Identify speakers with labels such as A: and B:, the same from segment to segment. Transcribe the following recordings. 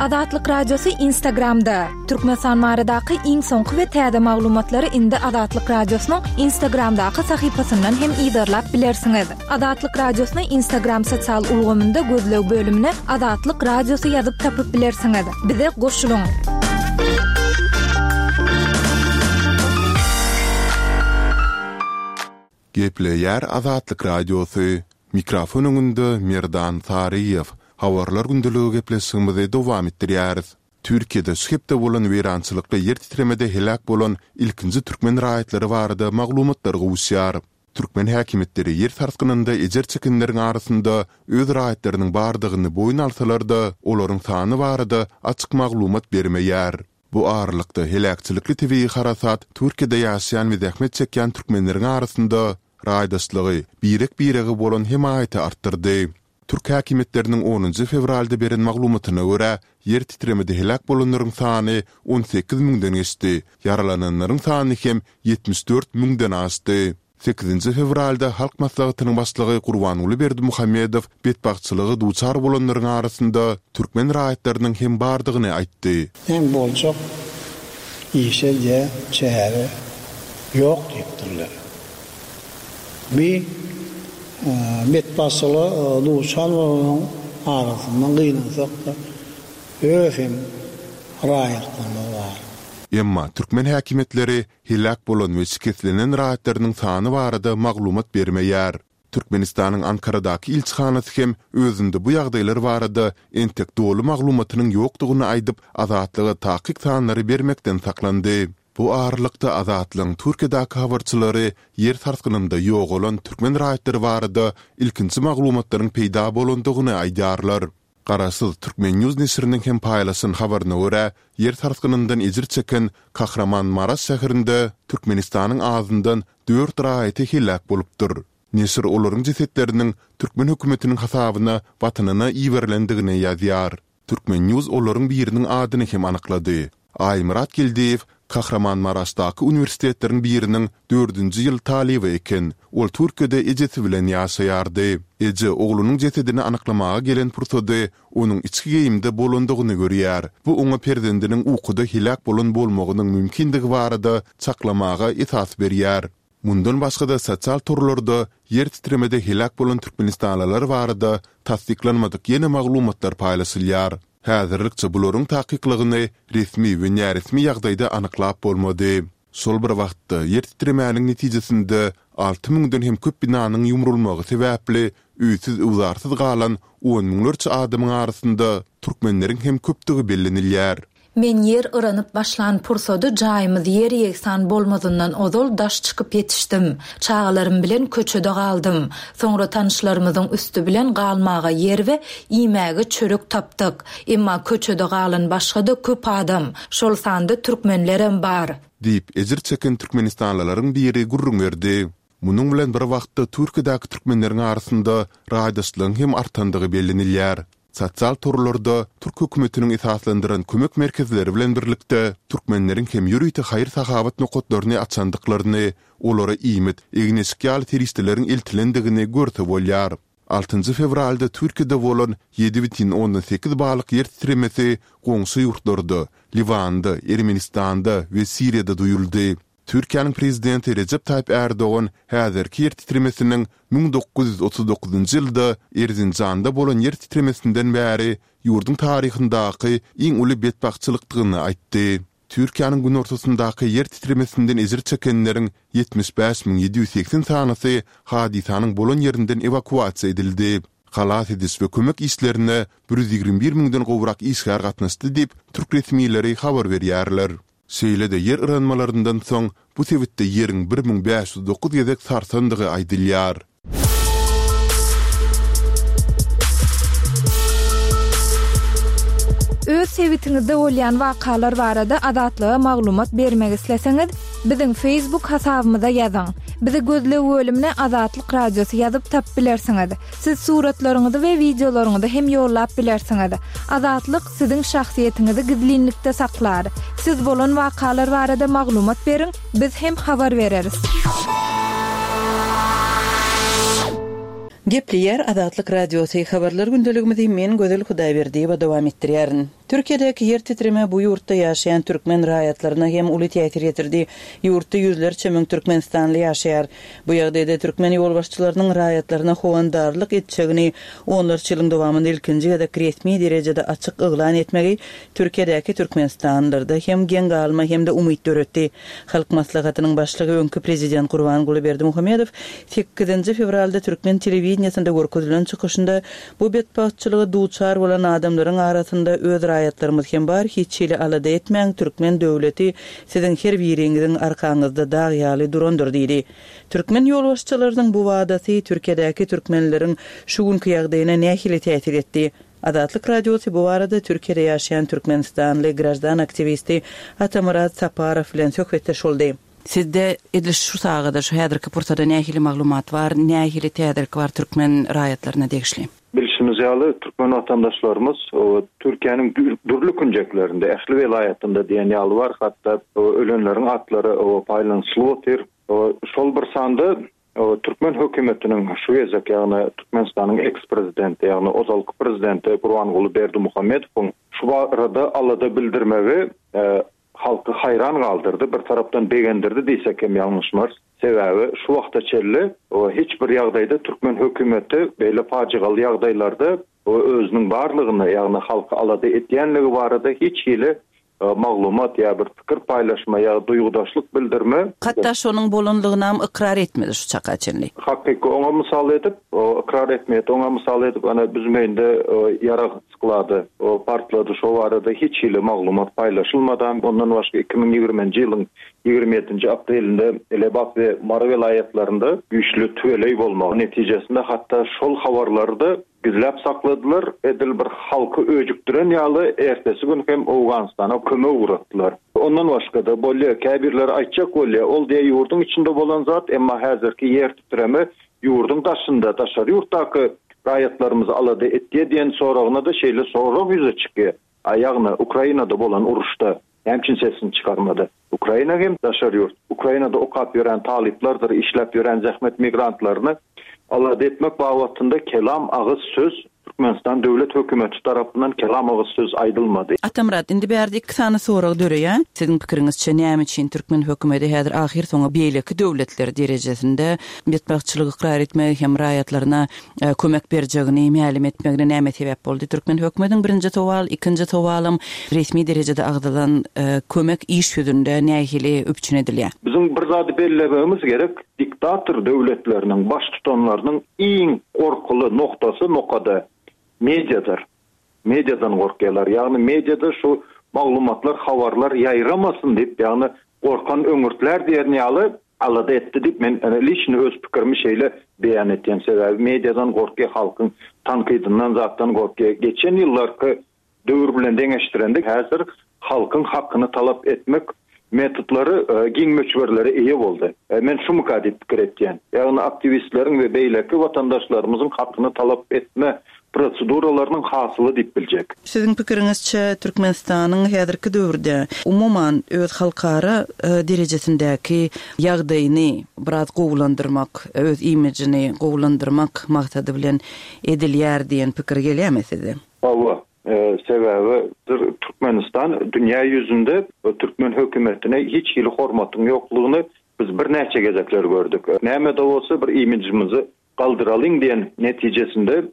A: Azatlyk Radiosy Instagramda! Türkmenistan baradaky iň soňky we täze maglumatlary indi Azatlyk Radiosynyň Instagramdaky sahypasyndan hem yzarlap bilersiňiz. Azatlyk Radiosyny Instagram sosial ulgamynda gözleg bölümine Azatlyk Radiosy ýazyp tapyp bilersiňiz. Bize goşulyň!
B: Gepleýär Azatlyk Radiosy, Mikrofon öňünde Merdan Saryýew. Habarlar gündeligi gepleşigimizi dowam etdirýäris. Türkiýede şu hepde bolan weýrançylykly ýer titremede heläk bolan ilkinji türkmen raýatlary barada maglumatlar gowuşýar. Türkmen häkimiýetleri ýer sarsgynynda ejir çekenleriň arasynda öz raýatlarynyň bardygyny boýun alsalar-da, olaryň sany barada açyk maglumat bermeýär. Bu aralykda, heläkçilikli tebigy harasat Türkiýede ýaşaýan we zähmet çekýän türkmenleriň arasynda raýdaşlygy, birek-birege bolan hemaýaty artdyrdy. Türk häkimiýetleriniň onunjy fewralda beren maglumatyna görä, ýer titremede heläk bolanlaryň sany 18 müňden geçdi, ýaralananlaryň sany hem 74 müňden aşdy. Sekizinji fewralda Halk Maslahatynyň Başlygy Gurbanguly Berdimuhamedow betbagtçylyga duçar bolanlaryň arasynda türkmen raýatlarynyň hem bardygyny aýtdy.
C: Hem boljak işe diýä çäre ýok diýipdirler. Bi betbagtçylyga duçar bolanlaryň arasynda gynansak-da öz hem raýatlarymyz bar.
B: Emma türkmen häkimiýetleri heläk bolan we şikeslenen raýatlarynyň sany barada maglumat bermeýär. Türkmenistanyň Ankaradaky ilçihanasy hem özünde bu ýagdaýlar barada entek doly maglumatynyň ýokdugyny aýdyp, Azatlyga takyk sanlary bermekden saklandy. Bu aralykda, Azatlygyň Türkiýedäki habarçylary ýer sarsgynynda ýogalan türkmen raýatlary barada ilkinji maglumatlaryň peýda bolandygyny aýdýarlar. Garaşsyz Turkmen. News neşiriniň hem paýlaşan habaryna görä, ýer sarsgynyndan ejir çeken Kahramanmaraş şäherinde Türkmenistanyň azyndan dört raýaty heläk bolupdyr. Neşir olaryň jesetleriniň türkmen hökümetiniň hasabyna Watanyna iberilendigini ýazýar. Turkmen. News olaryň biriniň adyny hem anyklady. Aýmyrat Geldiýew Kahramanmaraşdaky uniwersitetleriň biriniň dördünji ýyl talyby eken. Ol Türkiýede ejesi bilen ýaşaýardy. Eje oglunyň jesedini anyklamaga gelen pursady onuň içki geýimde bolandygyny görýär. Bu oňa perzendiniň ukuda heläk bolan bolmagynyň mümkindigi barada çaklamaga esas berýär. Mundan başga-da sosial torlarda ýer titremede heläk bolan türkmenistanlylar barada tassyklanmadyk ýene maglumatlar paýlaşylýar. Häzirlikçe bularyň takyklygyny resmi we näresmi ýagdaýda anyklap bolmady. Şol bir wagtda, ýer titremäniň netijesinde alty müňden hem köp binanyň ýumrulmagy sebäpli öýsüz-öwzarsyz galan on müňlerçe adamyň arasynda türkmenleriň hem köpdügi bellenilýär.
D: Men ýer yranyp başlan pursady jaýymyz ýer-ýegsan bolmazyndan ozal daş çykyp ýetişdim. Çagalarym bilen köçede galdym. Soňra tanyşlarymyzyň üsti bilen galmaga ýer we iýmäge çörek tapdyk. Emma köçede galan başga-da köp adam, şol sanda türkmenlerem bar.
B: Diýip, ejir çeken türkmenistanlylaryň biri gürrüň berdi. Munuň bilen bir wagtda Türkiýedäki türkmenleriň arasynda raýdaşlygyň hem artandygy bellenilýär. Sosial torlarda türk hökümetiniň esaslandyran kömek merkezleri bilen birlikde türkmenleriň hem ýörite haýyr-sahawat nokatlaryny açandyklaryny, olara iýmit, egin-eşik ýaly serişdeleriň eltilendigini görse bolýar. Altynjy fewralda Türkiýede bolan 7,8 ballyk ýer titremesi goňşy ýurtlarda, Liwanda, Ermenistanda we Siriýada duýuldy. Türkiýäniň Prezidenti Rejep Taýyp Ärdogan häzirki ýer titremesiniň 1939-njy ýylda Erzinjanda bolan ýer titremesinden bäri ýurduň taryhyndaky iň uly betbagtçylykdygyny aýtdy. Türkiýäniň günortasyndaky ýer titremesinden ejir çekenleriň 75 780 sanysy hadysanyň bolan ýerinden ewakuasiýa edildi. Halas ediş we kömek işlerine 121 müňden gowrak işgär gatnaşdy diýip, türk resmileri habar berýärler. Şeýle-de ýer yranmalaryndan soň bu sebitde ýeriň 1509 gezek sarsandygy aýdylýar.
A: Öz sebitiňizde bolýan wakalar barada Azatlyga maglumat bermek isleseňiz, biziň Facebook hasabymyza ýazyň. Bizi gözleg bölümine Azatlyk Radiosy ýazyp tapyp bilersiňiz. Siz suratlaryňyzy we wideolaryňyzy hem ýollap bilersiňiz. Azatlyk siziň şahsyýetiňizi gizlinlikde saklar. Siz bolan wakalar barada maglumat beriň, biz hem habar bereris.
E: Gepleýär Azatlyk Radiosy, Habarlar gündeligimizi men Gözel Hudaýberdiýewa dowam etdirýärin. Türkiýedäki ýer titreme bu ýurtda ýaşaýan türkmen raýatlaryna hem uly täsir ýetirdi. Ýurtda ýüzlerçe müň türkmenistanly ýaşaýar. Bu ýagdaýda türkmen ýolbaşçylarynyň raýatlaryna howandarlyk etjegini onlarça ýylyň dowamynda ilkinji gezek resmi derejede açyk yglan etmegi Türkiýedäki türkmenistanlylarda hem geň galma hem-de umyt döretdi. Halk Maslahatynyň Başlygy öňki Prezident Gurbanguly Berdimuhamedow sekizinji fewralda türkmen telewideniýesinde görkezilen çykyşynda Bu betbagtçylyga duçar bolan adamlaryň arasynda öz raýatlarymyz hem bar, hiç hili alada etmäň, türkmen döwleti siziň her biriňiziň arkaňyzda dag ýaly durandyr diýdi. Türkmen ýolbaşçylarynyň bu wadasy Türkiýedäki türkmenleriň şu günki ýagdaýyna nähili täsir etdi? Azatlyk Radiosy bu barada Türkiýede ýaşaýan türkmenistanly graždan aktiwisti Atamyrat Saparow bilen söhbetdeş boldy. Sizde edil şu sagada, şu häzirki pursada nähili maglumat bar, nähili täzelik bar türkmen raýatlaryna degişli?
F: Bilşimiz ýaly, türkmen watandaşlarymyz Türkiýäniň dürli künjeklerinde, ähli welaýatynda diýen ýaly bar, hatda ölenleriň atlary paýlanyşylyp otyr. Şol bir sanda türkmen hökümetiniň şu gezek, ýagny Türkmenistanyň eks-prezidenti, ýagny ozalky prezidenti Gurbanguly Berdimuhamedowyň şu barada alada bildirmegi halky haýran galdyrdy, bir tarapdan begendirdi diýsek hem ýalňyşmarys. Sebäbi şu wagta çenli hiç bir ýagdaýda türkmen hökümeti beýle pajygaly ýagdaýlarda özüniň barlygyny, ýagny halky alada edýänligi barada hiç hili maglumat ýa bir pikir paýlaşma ýa duýgudaşlyk bildirme.
E: Hatda şonuň bolanlygynam ykrar etmedi şu çaka çenli.
F: Hakyky oňa mysal edip, ykrar etmeýär. Oňa mysal edip, ana Büzmeýinde ýarag Sklady partlady, şo barada hiç hili maglumat paýlaşylmadam. Ondan başga 2020-nji ýylyň 27-nji aprelinde Lebap we Mary welaýatlarynda güýçli tüweleý bolmagy netijesinde hatda şol habarlary-da gizläp sakladylar, edil bir halky öjükdiren ýaly ertesi gün hem Owganystana kömek ugratdylar. Ondan başga-da bolýar, käbirleri aýtjak bolýar, ol diýýär ýurduň içinde bolan zat, emma häzirki ýer titreme ýurduň daşynda, daşary ýurtdaky raýatlarymyzy alada etýär diýen soragyna-da şeýle sorag ýüze çykýar. A ýagny Ukrainada bolan uruşda näme üçin sesini çykarmady? Ukraina hem daşary ýurt. Ukrainada okap ýören talyplardyr işläp ýören zähmet migrantlaryny alada etmek babatynda kelam agyz söz Türkmenistan döwlet hökümeti tarapyndan kelam agyz söz aýdylmady.
E: Atamyrat, indi bärde iki sany sorag döreýär. Siziň pikiriňizçe näme üçin türkmen hökümeti häzir ahyrsoňy beýleki döwletler derejesinde betbagtçylygy ykrar etmegi hem raýatlaryna kömek berjegini mälim etmegine näme sebäp boldy? Türkmen hökümetiniň birinji sowal, ikinji sowalam resmi derejede agzalan kömek iş ýüzünde nähili üpjün edilýär?
F: Biziň bir zady bellemegimiz gerek, diktator döwletleriniň baştutanlarynyň iň gorkuly noktasy, nokady mediadyr. Mediadan gorkýarlar. Ýagny mediada şu maglumatlar, habarlar ýaýramasyn diýip, ýagny gorkan öňürtlär diýen ýaly alada etdi diýip, men liçni öz pikirimi şeýle beýan etýän. Sebäbi mediadan gorkýar, halkyň tankydyndan zatdan gorkýar. Geçen ýyllarky Döwür bilen deňeşdirende häzir halkyň hakyny talap etmek metodlary giň möçberlere eýe boldy. Men şumyka diýip pikir etýän. Ýagny aktiwistleriň we beýleki watandaşlarymyzyň hakyny talap etme proseduralarynyň hasyly diýip biljek.
E: Siziň pikiriňizçe Türkmenistanyň häzirki döwürde umuman öz halkara derejesindäki ýagdaýyny biraz gowulandyrmak, öz imijini gowulandyrmak maksady bilen edilýär diýen pikir gelýärmi size?
F: Hawa, sebäbi Türkmenistan dünýä ýüzünde türkmen hökümetine hiç hili hormatyň ýoklugyny biz birnäçe gezekler gördük. Näme-de bolsa bir imidžimizi galdyralyň diýen netijesinde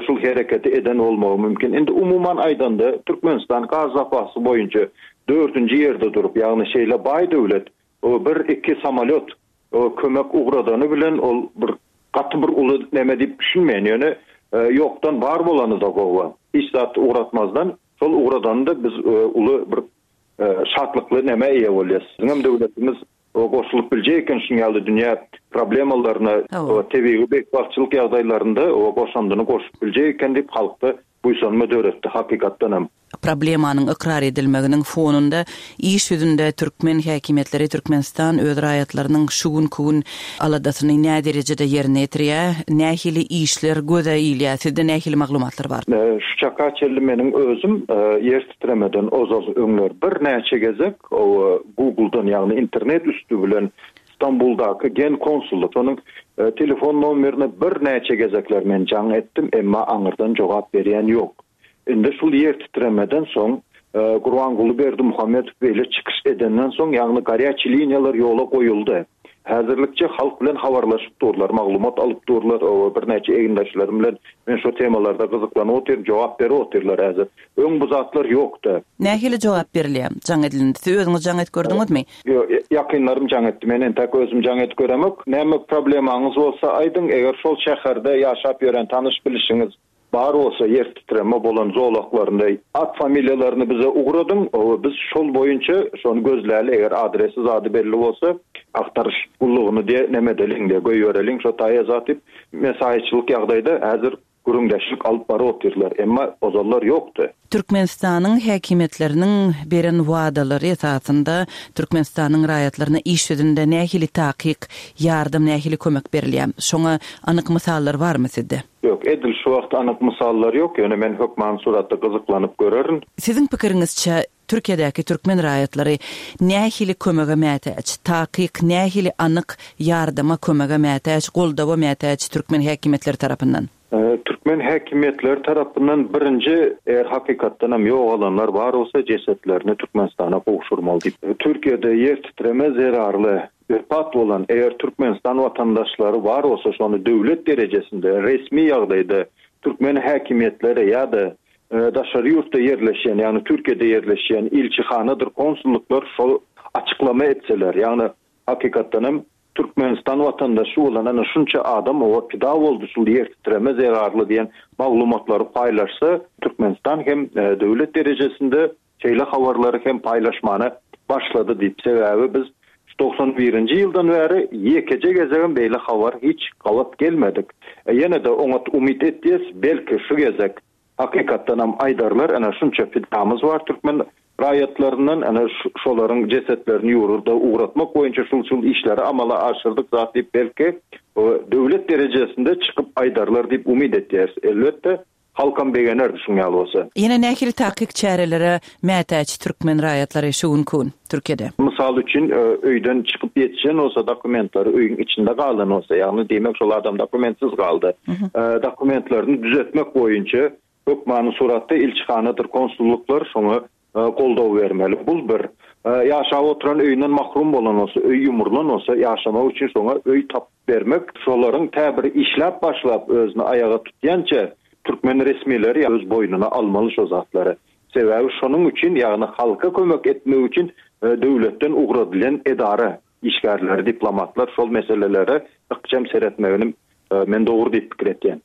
F: şul hereketi eden bolmagy mümkin. Indi umuman aýdanda Türkmenistan gaz zapasy boýunça dördünji ýerde durup, ýagny şeýle baý döwlet bir-iki samolýot kömek ugradany bilen ol bir gaty bir uly neme diýip düşünmeýän. Ýöne ýokdan bar bolany-da gowy. Hiç zat ugratmazdan şol ugradany-da biz uly bir şatlykly nämä eýe bolýas. Biziňem döwletimiz goşulyp biljek eken şunuň ýaly dünýä problemalaryna, tebigy betbagtçylyk ýagdaýlarynda goşandyny goşup biljek eken diýip halkda buýsanma döretdi hakykatdan hem.
E: Problemanyň ykrar edilmeginiň fonunda iş ýüzünde türkmen häkimiýetleri Türkmenistan öz raýatlarynyň şu günki gün aladasyny näderejede ýerine ýetirýär, nähili işler göze ilýär, sizde nähili maglumatlar bar?
F: Şu çaka çenli meniň özüm ýer titremeden ozal öňler birnäçe gezek Google-dan ýagny internet üsti bilen Stambuldaky Genkonsullyk şonuň telefon nomerine birnäçe gezekler men jaň etdim, emma aňyrdan jogap berýän ýok. Indi şul ýer titremeden soň. Gurbanguly Berdimuhamedow beýle çykyş edenden soň, ýagny garýaçi liniýalar ýola goýuldy. Häzirlikçe halk bilen habarlaşyp durlar, maglumat alyp durlar. Birnäçe egindeşlerim bilen men şo temalarda gyzyklanyp otyryn, jogap berip otyrlar häzir. Öň bu zatlar ýokdy.
E: Nähili jogap berilýär jaň edilende? Siz özüňiz jaň edip gördüňizmi?
F: Ýok, ýakynlarym jaň etdi. Men entäk özüm jaň edip göremok. Näme problemaňyz bolsa aýdyň, eger şol şäherde ýaşap ýören tanyş-bilişiňiz bar bolsa ýer titreme bolan zolaklarynda at familiýalaryny bize ugradyň, biz şol boýunça şony gözläli, eger adresi zady belli bolsa agtaryş gullugyny diýe neme edeliň diýe goýbereliň şo taýa zat diýip mesaýyçylyk ýagdaýda häzir gürrüňdeşlik alyp baryp otyrlar, emma ozallar ýokdy.
E: Türkmenistanyň häkimiýetleriniň beren wadalary esasynda Türkmenistanyň raýatlaryna iş ýüzünde nähili takyk ýardam, nähili kömek berilýär? Şoňa anyk mysallar barmy sizde?
F: Ýok, edil şu wagt anyk mysallar ýok, ýöne men hökmany suratda gyzyklanyp görerin.
E: Siziň pikiriňizçe, Türkiýedäki türkmen raýatlary nähili kömege mätäç? Takyk nähili anyk ýardama, kömege mätäç, goldawa mätäç türkmen häkimiýetleri tarapyndan?
F: Türkmen häkimiýetleri tarapyndan birinji, eger hakykatdanam ýogalanlar bar bolsa, jesetlerini Türkmenistana gowşurmaly diýip. Türkiýede ýer titreme zerarly wepat bolan eger Türkmenistan watandaşlary bar bolsa, şony döwlet derejesinde resmi ýagdaýda türkmen häkimiýetleri ýa-da daşary ýurtda ýerleşýän, ýagny Türkiýede ýerleşýän ilçihanadyr konsullyklar şol açyklama etseler, ýagny hakykatdanam Türkmenistan watandaşy bolan ana şunça adam oba pida boldy şul ýer titreme zerarly diýen maglumatlary paýlaşsa, Türkmenistan hem döwlet derejesinde şeýle habarlary hem paýlaşmana başlady diýip, sebäbi biz şu 91-nji ýyldan bäri ýekeje gezegem beýle habar hiç gabat gelmedik. Ýene-de oňat umyt etýäs, belki şu gezek Hakykatdanam aýdarlar, ene şunça pidamyz bar türkmen raýatlaryndan, ene şolaryň jesetlerini ýurda ugratmak boýunça şul-şul işleri amala aşyrdyk zat diýip belki döwlet derejesinde çykyp aýdarlar diýip umyt etýäris. Elbetde, halkam begenerdi şuň ýaly bolsa.
E: Ýene nähili takyk çärelere mätäç türkmen raýatlary şu günki gün Türkiýede?
F: Mysal üçin, öýden çykyp ýetişen bolsa, dokumentleri öýüň içinde galan bolsa, ýagny diýmek şol adam dokumentsiz galdy. Dokumentlerini düzetmek boýunça hökmany suratda ilçihanadyr konsullyklar şoňa goldaw bermeli. Bul bir. Ýaşap oturan öýünden mahrum bolan bolsa, öý ýumrulan bolsa, ýaşamak üçin şoňa öý tapyp bermek, şolaryň tä bir işläp başlap özüni aýaga tutýança türkmen resmileri öz boýnuna almaly şo zatlary. Sebäbi şonuň üçin, ýagny halka kömek etmek üçin döwletden ugradylýan edara işgärleri, diplomatlar şol meselelere ykjam seretmegini men dogry diýip pikir etýän.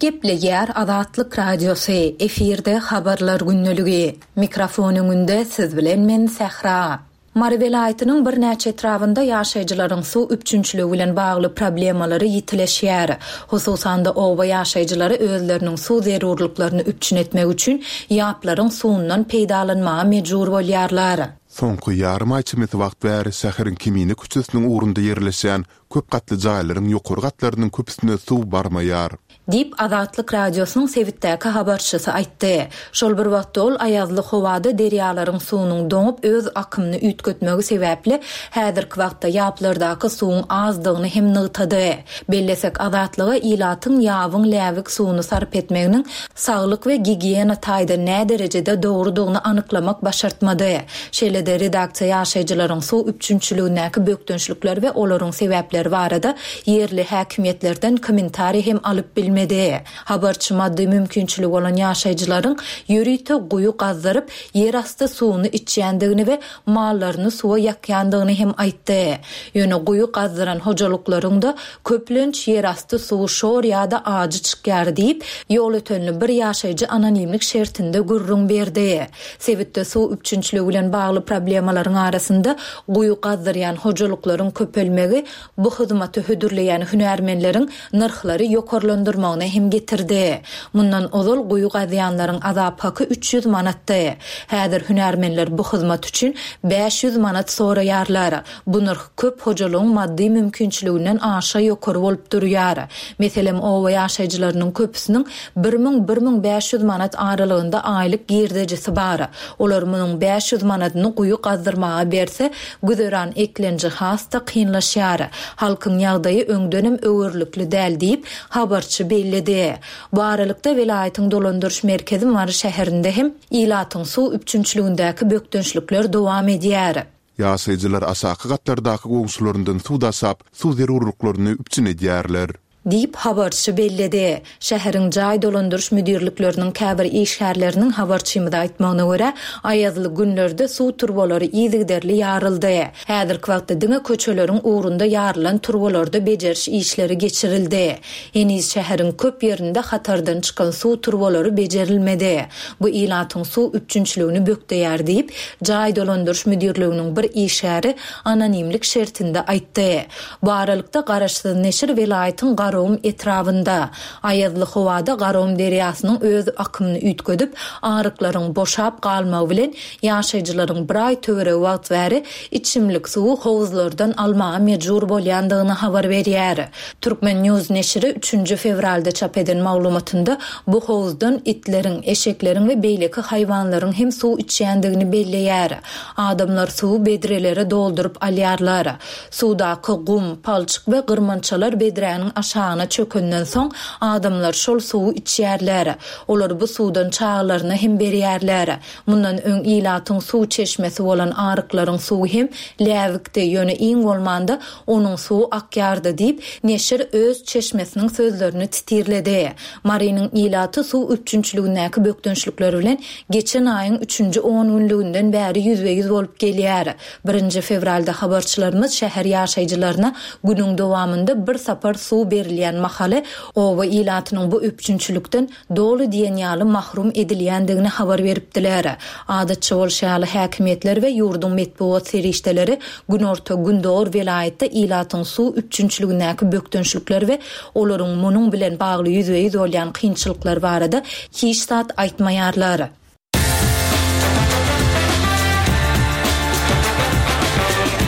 D: Gepleýär Azatlyk Radiosy, efirde Habarlar gündeligi. Mikrofon öňünde siz bilen men Sähra. Mary welaýatynyň birnäçe etrabynda ýaşaýjylaryň suw üpjünçiligi bilen bagly problemalary ýitileşýär. Hususan-da, oba ýaşaýjylary özleriniň suw zerurlyklaryny üpjün etmek üçin ýaplaryň suwundan peýdalanmaga mejbur bolýarlar.
B: Soňky ýarym aý çemesi wagt bäri şäheriň Kemine köçesiniň ugrunda ýerleşýän köp gatly jaýlaryň ýokary gatlarynyň köpüsine suw barmaýar.
D: Diýip, Azatlyk Radiosynyň sebitdäki habarçysy aýtdy. Şol bir wagtda ol aýazly howada derýalaryň suwunyň doňup, öz akymyny üýtgetmegi sebäpli, häzirki wagtda ýaplardaky suwuň azdygyny hem nygtady. Bellesek, Azatlyga ilatyň ýabyň läbik suwuny sarp etmeginiň saglyk we gigiýena taýdan näderejede dogrudygyny anyklamak başartmady. Şeýle-de, redaksiýa ýaşaýjylaryň suw üpjünçiligindäki bökdençlikler we olaryň sebäpleri barada ýerli häkimiýetlerden kommentariý hem alyp bilmedi. Habarçy maddy mümkinçiligi bolan ýaşaýjylaryň ýörite guýy gazdyryp, ýerasty suwuny içýändigini we mallaryny suwa ýakýandygyny hem aýtdy. Ýöne guýy gazdyran hojalyklaryň-da köplenç ýerasty suwy şor ýa-da ajy çykýar diýip, ýolötenli bir ýaşaýjy anonimlik şertinde gürrüň berdi. Sebitde suw üpjünçiligi bilen bagly problemalaryň arasynda guýy gazdyrýan hojalyklaryň köpelmegi bu hyzmaty hödürleýän hünärmenleriň nyrhlary ýokarlandyrmagyna hem getirdi. Mundan ozal guýy gazýanlaryň azap haky 300 manatdy. Häzir hünärmenler bu hyzmat üçin 500 manat soraýarlar. Bu nyrh köp hojalygyň maddy mümkinçiliginden aşa ýokary bolup durýar. Meselem, oba ýaşaýjylarynyň köpüsiniň 1000-1500 manat aralygynda aýlyk girdejisi bar. Olar munuň 500 manadyny. guýy gazdyrmaga berse, güzeran eklenji has-da kynlaşýar. Halkyň ýagdaýy öňdenem öwerlikli däl diýip, habarçy belledi. Bu aralykda, welaýatyň dolandyryş merkezi Mary şäherinde hem ilatyň suw üpjünçiligindäki bökdençlikler dowam edýär.
B: Ýaşaýjylar aşaky gatlardaky goňşularyndan suw daşap, suw zerurlyklaryny üpjün edýärler.
D: Diýip, habarçy belledi. Şäheriň jaý dolandyryş müdirlikleriniň käbir işgärleriniň habarçymyza aýtmagyna görä, aýazly günlerde suw turbalary yzygiderli ýaryldy. Häzirki wagtda diňe köçeleriň ugrunda ýarylan turbalarda bejeriş işleri geçirildi. Heniz şäheriň köp ýerinde hatardan çykan suw turbalary bejerilmedi. Bu ilatyň suw üpjünçiligini bökdeýär diýip, jaý dolandyryş müdirliginiň bir işgäri anonimlik şertinde aýtdy. Bu aralykda, garaşsyz neşir welaýatyň Garagum etrabynda, aýazly howada Garagum derýasynyň öz akymyny üýtgedip, aryklaryň boşap galmagy bilen, ýaşaýjylaryň bir aý töweregi wagt bäri içimlik suwy howuzlardan almaga mejbur bolýandygyny habar berýär. Turkmen. News neşiri üçünji fewralda çap eden maglumatynda bu howuzdan itleriň, eşekleriň we beýleki haýwanlaryň hem suw içýändigini belleýär. Adamlar suwy bedrelere dolduryp alýarlar. Suwdaky gum, palçyk we gyrmançalar bedräniň aşagyna çökenden soň, adamlar şol suwy içýärler. Olar bu suwdan çagalaryna hem berýärler. Mundan öň ilatyň suw çeşmesi bolan aryklaryň suwy hem läbikdi, ýöne iň bolmanda onuň suwy akýardy diýip, neşir öz çeşmesiniň sözlerini titirledi. Marynyň ilaty suw üpjünçiligindäki bökdençlikler bilen geçen aýyň üçünji ongünlüginden bäri ýüzbe-ýüz bolup gelýär. Birinji fewralda habarçylarymyz şäher ýaşaýjylaryna günüň dowamynda bir sapar suw berilýän mahaly oba ilatynyň bu üpjünçilikden doly diýen ýaly mahrum edilýändigini habar beripdiler. Adatça bolşy ýaly, häkimiýetler we ýurduň metbugat serişdeleri günorta-gündogar welaýatda ilatyň suw üpjünçiligindäki bökdençlikler we olaryň munuň bilen bagly ýüzbe-ýüz bolýan kynçylyklar barada hiç zat aýtmaýarlar.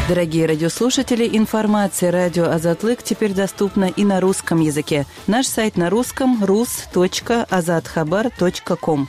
E: Дорогие радиослушатели, информация радио Азатлык теперь доступна и на русском языке. Наш сайт на русском rus.azathabar.com.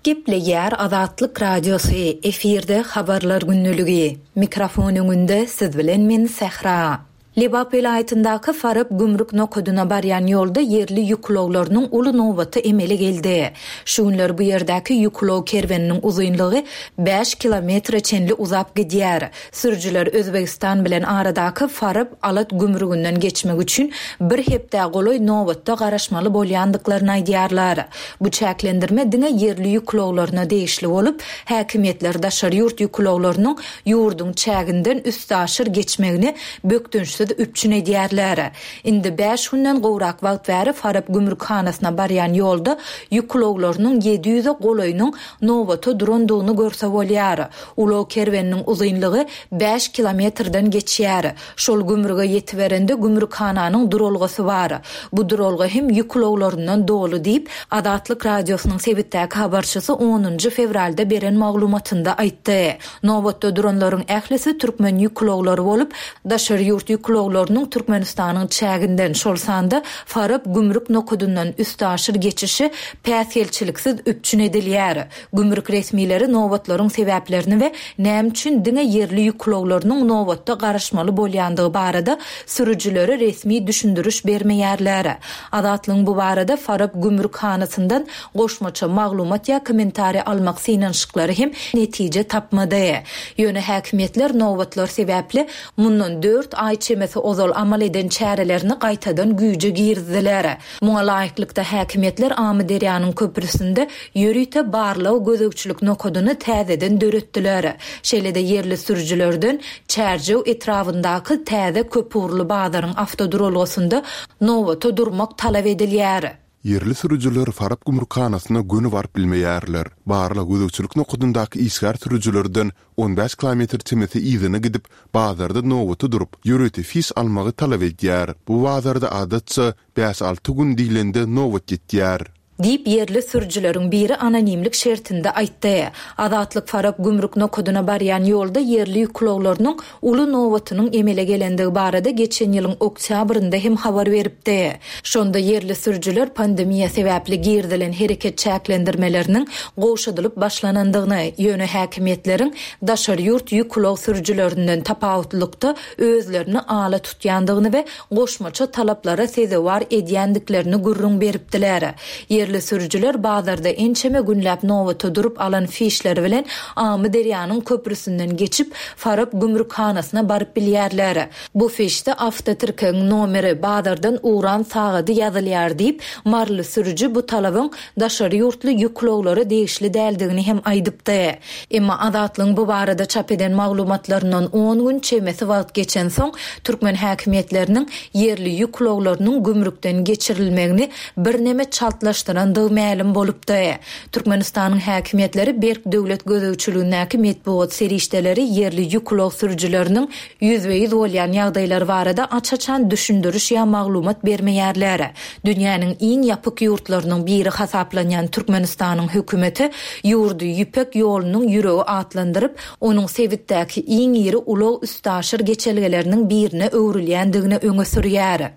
D: Gepleýär Azatlyk Radiosy, efirde Habarlar gündeligi. Mikrofon öňünde siz bilen men Sähra. Lebap welaýatyndaky Farap gümrük nokadyna barýan ýolda ýerli ýük ulaglarynyň uly nobaty emele geldi. Şu günler bu ýerdäki ýük ulag kerweniniň uzynlygy bäş kilometre çenli uzap gidýär. Sürüjiler Özbegistan bilen aradaky Farap, Alat gümrüginden geçmek üçin bir hepdä golaý nobatda garaşmaly bolýandyklaryny aýdýarlar. Bu çäklendirme diňe ýerli ýük ulaglaryna degişli bolup, häkimiýetler daşary ýurt ýük ulaglarynyň ýurduň çäginden üstaşyr geçmegini bökdençsiz üpjün edýärler. Indi bäş günden gowrak wagt bäri Farap gümrükhanasyna barýan ýolda ýük ulaglarynyň 700-e golaýynyň nobata durandygyny görse bolýar. Ulag kerweniniň uzynlygy bäş kilometrden geçýär. Şol gümrüge ýetiberende gümrükhananyň duralgasy bar. Bu duralga hem ýük ulaglaryndan doly diýip, Azatlyk Radiosynyň sebitdäki habarçysy onunjy fewralda beren maglumatynda aýtdy. Nobatda duranlaryň ählisi türkmen ýük ulaglary bolup, daşary ýurt ýük ulaglarynyň Türkmenistanyň çäginden, şol sanda Farap gümrük nokadyndan üstaşyr geçişi päsgelçiliksiz üpjün edilýär. Gümrük resmileri nobatlaryň sebäplerini we näme üçin diňe ýerli ýük ulaglarynyň nobatda garaşmaly bolýandygy barada sürüjilere resmi düşündiriş bermeýärler. Azatlygyň bu barada Farap gümrükhanasyndan goşmaça maglumat ýa kommentariý almak synanyşyklary hem netije tapmady. Ýöne häkimiýetler nobatlar sebäpli mundan dört aý çemesi ozal amal eden çärelerini gaýtadan güýje girizdiler. Muňa laýyklykda, häkimiýetler Amyderýanyň köprüsinde ýörite barlag-gözegçilik nokadyny täzeden döretdiler. Şeýle-de ýerli sürüjilerden Çärjew etrabyndaky täze köpugurly bazaryň awtoduralgasynda nobata durmak talap edilýär.
B: Ýerli sürüjiler Farap gümrükhanasyna göni baryp bilmeýärler. Barlag-gözegçilik nokadyndaky işgär sürüjilerden 15 kilometr çemesi yzyna gidip, bazarda nobata durup, ýörite fiş almagy talap edýär. Bu bazarda adatça bäş-alty gün diýlende nobat ýetýär.
D: Diýip, ýerli sürüjileriň biri anonimlik şertinde aýtdy. Azatlyk Farap gümrük nokadyna barýan ýolda ýerli ýük ulaglarynyň uly nobatynyň emele gelendigi barada geçen ýylyň oktýabrynda hem habar beripdi. Şonda ýerli sürüjiler pandemiýa sebäpli girizilen hereket çäklendirmeleriniň gowşadylyp başlanandygyny, ýöne häkimiýetleriň daşary ýurt ýük ulag sürüjilerinden tapawutlylykda özlerini ala tutýandygyny we goşmaça talaplara sezewar edýändiklerini gürrüň beripdiler. Ýerli sürüjiler bazarda ençeme günläp nobata durup alan fişleri bilen Amyderýanyň köprüsinden geçip, Farap gümrükhanasyna baryp bilýärler. Bu fişde awtotirkegiň nomeri, bazardan ugran sagady ýazylýar diýip, maryly sürüji bu talabyň daşary ýurtly ýük ulaglara degişli däldigini hem aýdypdy. Emma Azatlygyň bu barada çap eden maglumatlaryndan on gün çemesi wagt geçensoň, türkmen häkimiýetleriniň ýerli ýük ulaglarynyň gümrükden geçirilmegini birneme çaltlaşdyrandygy mälim bolupdy. Türkmenistanyň häkimiýetleri berk döwlet gözegçiligindäki metbugat serişdeleri ýerli ýük ulag sürüjileriniň ýüzbe-ýüz bolýan ýagdaýlary barada aç-açan düşündiriş ýa maglumat bermeýärler. Dünýäniň iň ýapyk ýurtlarynyň biri hasaplanýan Türkmenistanyň hökümeti ýurdy Ýüpek ýolunyň ýüregi atlandyryp, onuň sebitdäki iň iri ulag-üstaşyr geçelgeleriniň birine öwrülýändigini öňe sürýär.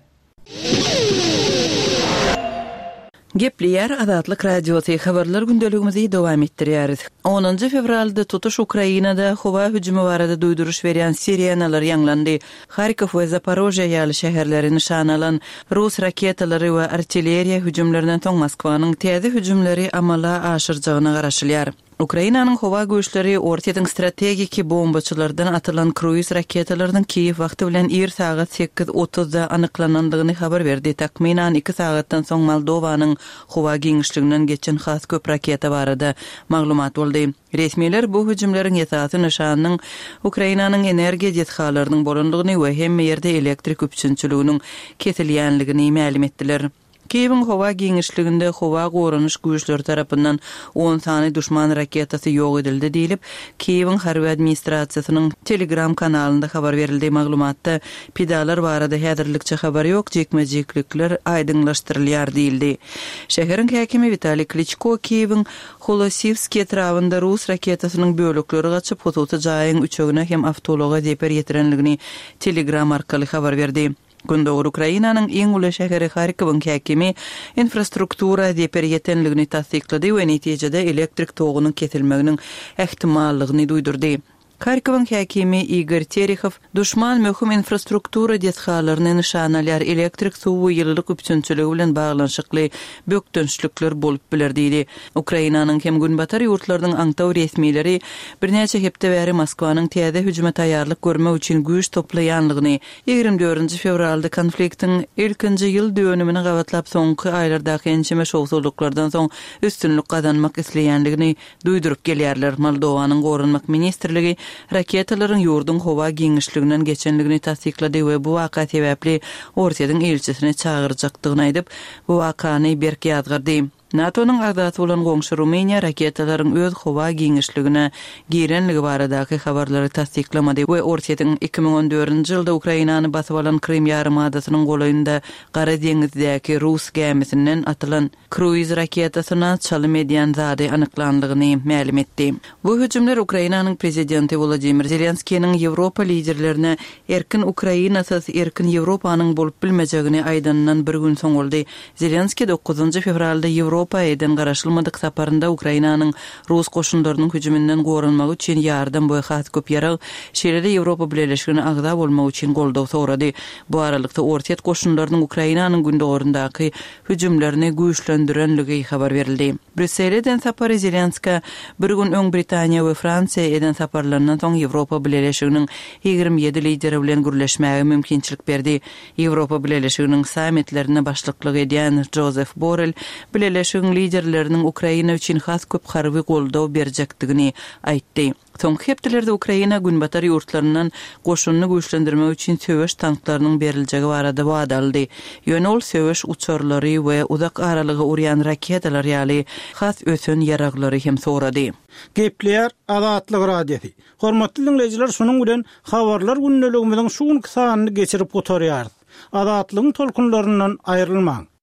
E: Gepleýär Azatlyk Radiosy, Habarlar gündeligimizi dowam etdirýäris. Onunjy fewralda tutuş Ukrainada howa hüjümi barada duýduryş berýän sirenalar ýaňlandy. Harkow we Zaporožýe ýaly şäherleri nyşana alan rus raketalary we artilleriýa hüjümlerinden soň Moskwanyň täze hüjümleri amala aşyrjagyna garaşylýar. Ukrainanyň howa güýçleri Orsýetiň strategiki bombaçylardan atylan kruiz raketalarynyň Kiýew wagty bilen ir sagat sekiz otuzda anyklanandygyny habar berdi. Takmynan iki sagatdan soň Moldowanyň howa giňişliginden geçen has köp raketa barada maglumat boldy. Resmiler bu hüjümleriň esasy nyşanynyň Ukrainanyň energiýa desgalarynyň bolandygyny we hemme ýerde elektrik üpjünçiliginiň kesilýänligini mälim etdiler. Kiýewiň howa giňişliginde howa goranyş güýçleri tarapyndan on sany duşman raketasy ýok edildi diýlip, Kiýewiň harby administrasiýasynyň Telegram kanalynda habar berildi. Maglumatda, Pidalar barada häzirlikçe habar ýok, jikme-jiklikler aýdyňlaşdyrylýar diýildi. Şäheriň häkimi Witaliý Kliçko Kiýewiň Holosiwskiý etrabynda rus raketasynyň bölekleri gaçyp, hususy jaýyň üçegine hem awtoulaga zeper ýetirenligini Telegram arkaly habar berdi. Gündogar Ukrainanyň iň uly şäheri Harkowyň häkimi infrastruktura zeper ýetenligini tassyklady we netijede elektrik togunyň kesilmeginiň ähtimallygyny duýdurdy. Harkowyň häkimi Igor Terehow, Duşman möhüm infrastruktura desgalaryny nyşana alýar, elektrik, suw we ýylylyk üpjünçiligi bilen baglanyşykly bökdençlikler bolup biler diýdi. Ukrainanyň hem Günbatar ýurtlarynyň aňtaw resmileri birnäçe hepde bäri Moskwanyň täze hüjüme taýýarlyk görmek üçin güýç toplaýanlygyny 24 fewralda konfliktiň ilkinji ýyl dönümine gabatlap soňky aýlardaky ençeme şowsuzlyklardan soň üstünlik gazanmak isleýänligini duýduryp gelýärler. Moldowanyň Goranmak ministrligi raketalaryň ýurduň howa giňişliginden geçenligini tassyklady we bu waka sebäpli Orsýetiň ilçisini çagyrjakdygyny aýdyp, bu wakany berk ýazgardy. NATO-nyň agzasy bolan goňşy Rumyniýa raketalaryň öz howa giňişligine girenligi baradaky habarlary tassyklamady we Orsýetiň 2014-nji ýylda Ukrainany basyp alan Krym ýarymadasynyň golaýynda Gara deňizdäki rus gämisinden atylan kruiz raketasyna çalym edýän zady anyklanlygyny mälim etdi. Bu hüjümler Ukrainanyň prezidenti Wolodymyr Zelenskiniň Ýewropa liderlerine erkin Ukrainasyz erkin Ýewropanyň bolup bilmejegini aýdanyndan bir gün soň boldy. Zelenskiý dokuzynjy fewralda Ýewropa eden garaşylmadyk saparynda Ukrainanyň rus goşunlarynyň hüjüminden goranmagy üçin ýardam we has köp ýarag, şeýle-de Ýewropa Bileleşigine agza bolmak üçin goldaw sorady. Bu aralykda, Orsýet goşunlarynyň Ukrainanyň gündogaryndaky hüjümlerini güýçlendirenligi habar berildi. Brýussele eden sapary Zelenskä bir gün öň Britaniýa we Fransiýa eden saparlaryndan soň Ýewropa Bileleşiginiň 27 lideri bilen gürleşmäge mümkinçilik berdi. Ýewropa Bileleşiginiň sammitlerine başlyklyk edýän Jozef Borrel Bileleşigiň liderleriniň Ukraina üçin has köp harby goldaw berjekdigini aýtdy. Soňky hepdelerde Ukraina günbatar ýurtlaryndan goşunyny güýçlendirmek üçin söweş tanklarynyň beriljegi barada wada aldy. Ýöne ol söweş uçarlary we uzak aralyga urýan raketalar ýaly has ösen ýaraglary hem sorady.
G: Gepleýär Azatlyk Radiosy. Hormatly diňleýjiler şunuň bilen Habarlar gündeligimiziň şu günki sanyny geçirip gutarýarys. Azatlygyň tolkunlaryndan aýrylmaň!